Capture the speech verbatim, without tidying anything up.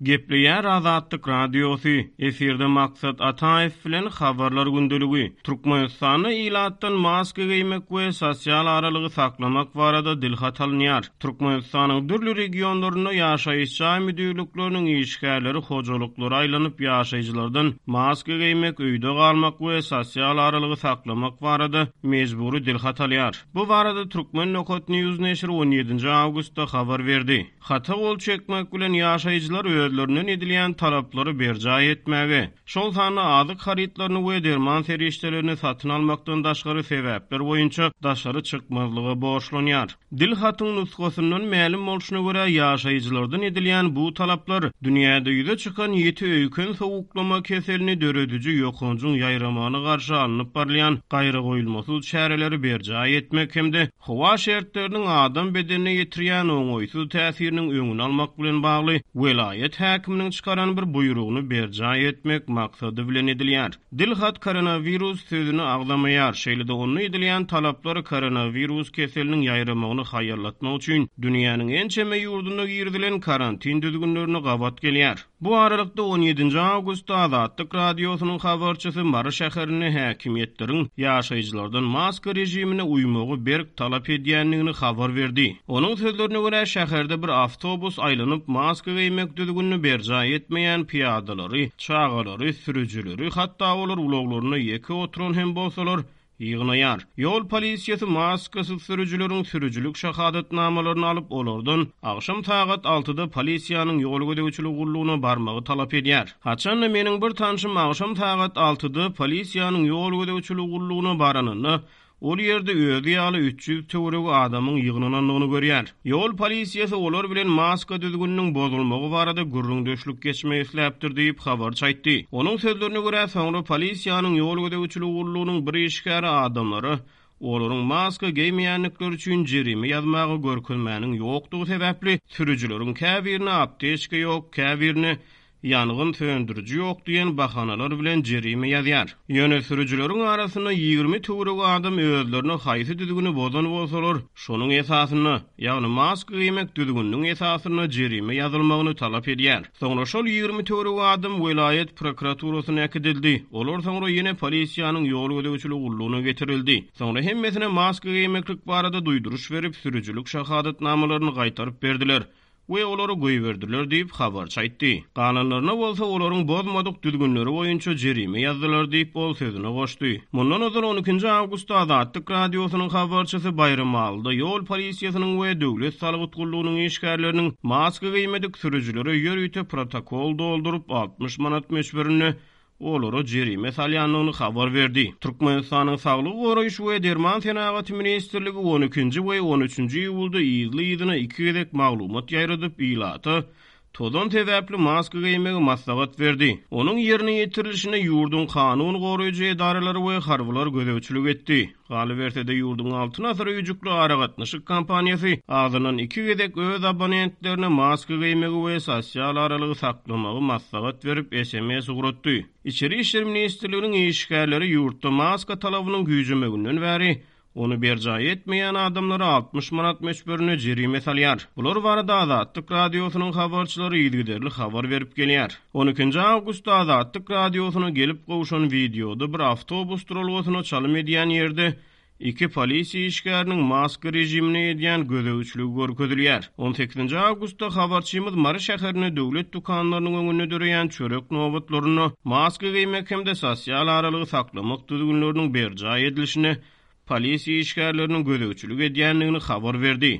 Gepleýär Azatlyk Radiosy, efirde Maksat Ataýew bilen Habarlar gündeligi. Türkmenistanda ilatdan maska geýmek we sosial aralygy saklamak barada dilhat alynýar. Türkmenistanyň dürli regionlarynda ýaşaýyş jaý müdirlikleriniň işgärleri hojalyklara aýlanyp ýaşaýjylardan maska geýmek, öýde galmak we sosial aralygy saklamak barada mejbury dilhat alýar. Bu barada Turkmen News neşiri on ýedinji awgustda habar berdi. Hata gol çekmek bilen ýaşaýjylar özlerinden edilýän talaplary berjaý etmäge, şol sanda azyk harytlaryny we derman serişdelerini satyn almakdan daşgary sebäpler boýunça daşary çykmazlyga borçlanýar. Dil hatyň nusgasyndan mälim bolşuna görä ýaşaýjylardan edilýän bu talaplar dünýäde ýüze çykan ýiti öýken sowuklama keselini dörediji ýokanjyň ýaýramagyna garşy alnyp barylýan gaýragoýulmasyz çäreleri berjaý etmek hem-de howa şertleriniň adam bedenine ýetirýän oňaýsyz täsiriniň öňüni almak bilen bagly welaýat häkiminiň çykaran bir buýrugyny berjaý etmek maksady bilen edilýär. Dil hat koronawirus sözüni agzamaýar. Şeýle-de onda edilýän talaplar koronawirus keseliniň ýaýramagyny haýallatmak üçin dünýäniň ençeme ýurdunda girizilen karantin düzgünlerine gabat gelýär. Bu aralykda on ýedinji awgustda Azatlyk Radiosynyň habarçysy Mary şäherinde häkimiýetleriň ýaşaýjylardan maska rejimine uýmagy berk talap edýändigini habar berdi. Onuň sözlerine görä şäherde bir awtobus aýlanyp maska geýmek düzgünini berjaý etmeýän piýadalary, çagalary, sürüjileri, hatda olar ulaglarynda ýeke oturan hem bolsalar ýygnaýar. Ýol polisiýasy maskasyz sürüjileriň sürüjilik şahadatnamalaryny alyp, olardan agşam sagat altyda polisiýanyň ýol gözegçiligi gullugyna barmagy talap edýär. Haçanda meniň bir tanşym agşam sagat altyda polisiýanyň ýol gözegçiligi gullugyna baranynda, ol ýerde özi ýaly üç ýüz töweregi adamyň ýygnanandygyny görýär. Ýol polisiýasy olar bilen maska düzgüniniň bozulmagy barada gürrüňdeşlik geçmek isläpdir diýip habarçy aýtdy. Onuň sözlerine görä soňra polisiýanyň ýol gözegçiligi gullugynyň bir işgäri adamlara olaryň maska geýmeýändikleri üçin jerime ýazmaga görkezmäniň ýokdugy sebäpli sürüjileriň käbirine apteçka ýok, käbirine ýangyn söndüriji ýok diýen bahanalar bilen jerime ýazýar. Ýöne sürüjileriň arasynda ýigrimi töweregi adam özlerine haýsy düzgüni bozan bolsalar, şonuň esasynda, ýagny maska geýmek düzgüniniň esasynda jerime ýazylmagyny talap edýär. Soňra şol ýigrimi töweregi adam welaýat prokuraturasyna äkidildi. Olar soňra ýene polisiýanyň ýol gözegçiligi gullugyna getirildi. Soňra hemmesine maska geýmeklik barada duýduryş berip, sürüjilik şahadatnamalaryny gaýtaryp berdiler we olary goýberdiler diýip habarçy aýtdy. Galanlaryna bolsa olaryň bozmadyk düzgünleri boýunça jerime ýazdylar diýip ol sözüne goşdy. Mundan ozal on ikinji awgustda Azatlyk Radiosynyň habarçysy Baýramalyda ýol polisiýasynyň we döwlet salgyt gullugynyň işgärleriniň maska geýmedik sürüjilere ýörite protokol dolduryp altmyş manat möçberinde olara jerime salýandygyny habar berdi. Türkmenistanyň Saglygy goraýyş we Derman senagaty ministrligi on ikinji we on üçünji iýulda yzly-yzyna iki gezek maglumat ýaýradyp, ilata tozan sebäpli maska geýmegi maslahat berdi. Onuň ýerine ýetirilişine ýurduň kanun goraýjy edaralary we harbylar gözegçilik etdi. Galyberse-de ýurduň Altyn asyr öýjükli aragatnaşyk kompaniýasy azyndan iki gezek öz abonentlerine maska geýmegi we sosial aralygy saklamagy maslahat berip S M S ugratdy. Içeri İşler Ministrliginiň işgärleri ýurtda maska talabynyň güýjemeginden bäri ony berjaý etmeýän adamlara altmyş manat möçberinde jerime salýar. Bular barada Azatlyk Radiosynyň habarçylary yzygiderli habar berip gelýär. on ikinji awgustda Azatlyk Radiosyna gelip gowşan wideoda bir awtobus duralgasyna çalym edýän ýerde iki polisiýa işgäriniň maska rejimine edýän gözegçiligi görkezilýär. on sekizinji awgustda habarçymyz Mary şäherinde döwlet dükanlarynyň öňünde döreýän çörek nobatlarynda maska geýmek hem-de sosial aralygy saklamak düzgünleriniň berjaý edilişine polisiýa işgärleriniň gözegçilik edýändigini habar berdi.